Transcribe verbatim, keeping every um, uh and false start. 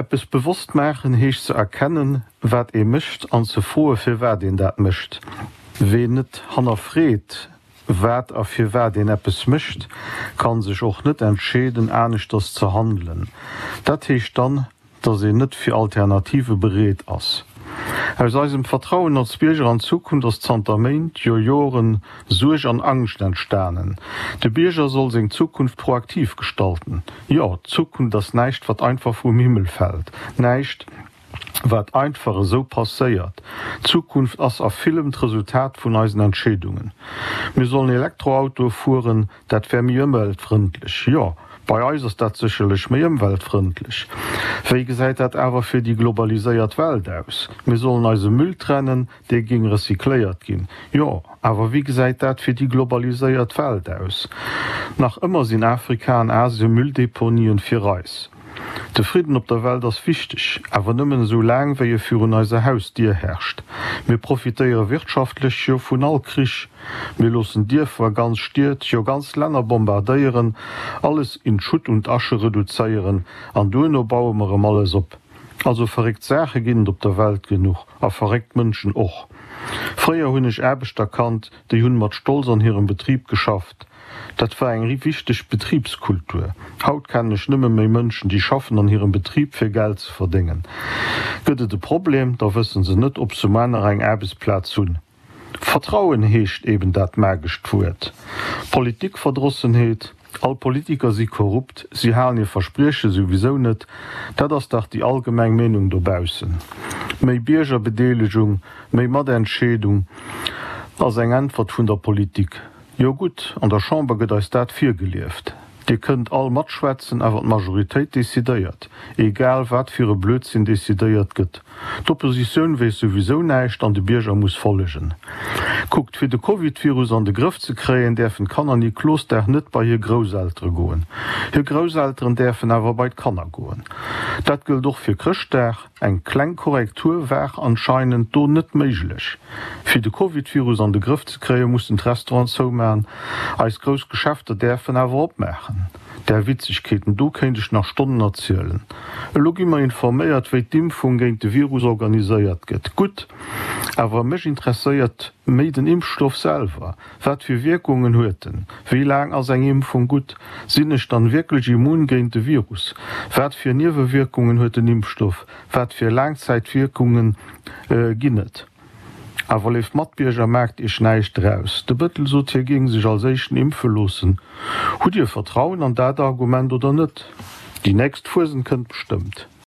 Eppes bewosst maachen heescht ze erkennen, wat ee mécht an ze froe firwat een dat mécht. Ween net hannerfreet, wat a firwat een eppes mécht, kann sech och net entscheeden aneschters ze handelen. Dat heescht dann, dass een net fir Alternative bereet ass. Aus eisem Vertrauen als Bierger an d'Zukunft ass zanter Méint, jo Joren, Suerg an Angscht entstanen. De Bierger soll seng Zukunft proaktiv gestalten. Jo, d'Zukunft ass näischt wat einfach vum Himmel fält, näischt wat einfach esou passéiert. D'Zukunft ass a villem d'Resultat vun eisen Entscheedungen. Mir sollen Elektroautoe fueren, dat wär méi ëmweltfrëndlech. Jo, bei eis ass dat sécherlech méi ëmweltfrëndlech. Wéi gesäit dat awer fir déi globaliséiert Welt aus? Mir sollen eise Müll trennen, dee géing recycléiert ginn. Jo, awer wéi gesäit dat fir déi globaliséiert Welt aus? Nach ëmmer sinn Afrika an Asien Mülldeponien fir eis. De Fridden op der Welt ass wichteg, awer nëmmen esou laang, wéi e virun eiser Hausdier herrscht. Mir profitéiere wirtschaftlech jo vun all Krich. Mir loossen Dierfer, ganz Stied, jo ganz Länner bombardéieren, alles in Schutt und Asche reduzéieren an duerno baue mer erëm alles op. Also verréckt Saache ginn et op der Welt genuch a verréckt Mënschen och. Fréier hunn ech Aarbechter kannt, déi hunn mat Stolz an hirem Betrib geschafft. Dat war eng wichteg Betribskultur. Haut kennen ech nëmme méi Mënschen, déi schaffen an hirem Betrib fir Geld ze verdéngen. Gëtt et e Problem, da wësse se net, ob se muer nach eng Aarbechtsplaz hunn. Vertrauen heescht eben dat magescht Wuert. Politikverdrossenheet, All Politiker si korrupt, si halen hir Versprieche souwisou net, dat ass dach déi allgemeng Meenung dobaussen. Méi Biergerbedeelegung, méi Matentscheedung ass eng Äntwert vun der Politik. Jo gutt, an der Chamber gëtt eis dat virgelieft. Dir kënnt all matschwätzen, awer d'Majoritéit decidéiert, egal wat fir e Blödsinn decidéiert gëtt. D'Oppositioun weess souwisou näischt an de Bierger muss follegen. Kuckt, fir de Covid-Virus an de Grëff ze kréien, däerfen d'Kanner Niklosdag net bei hir Grousseltere goen. Hir Grousselteren däerfen awer bei d'Kanner goen. Dat gëllt och fir Chrëschtdag. Eng kleng Korrektur war anscheinend do net méiglech. Fir de Covid-Virus an de Grëff ze kréien, mussen d'Restauranten zoumaachen. Eis grouss Geschäfter däerfen awer opmaachen. Där Witzegkeeten do kéint ech nach Stonnen erzielen. Elo gi mer informéiert, wéi d'Impfung géint de Virus organiséiert gëtt. Gutt, awer mech interesséiert méi den Impfstoff selwer. Wat fir Wierkungen huet en? Wéi laang ass eng Impfung gutt? Sinn ech dann wierklech immun géint de Virus? Wat fir Niewewierkungen huet den Impfstoff? Wat fir Laangzäitwierkungen ginn et? Awer léif Matbierger, maacht iech näischt draus. De Bëttel sot hie géing sech als éischten impfe loossen. Hutt dir Vertrauen an dat Argument oder net? Déi nächst Fuesent kënnt bestëmmt.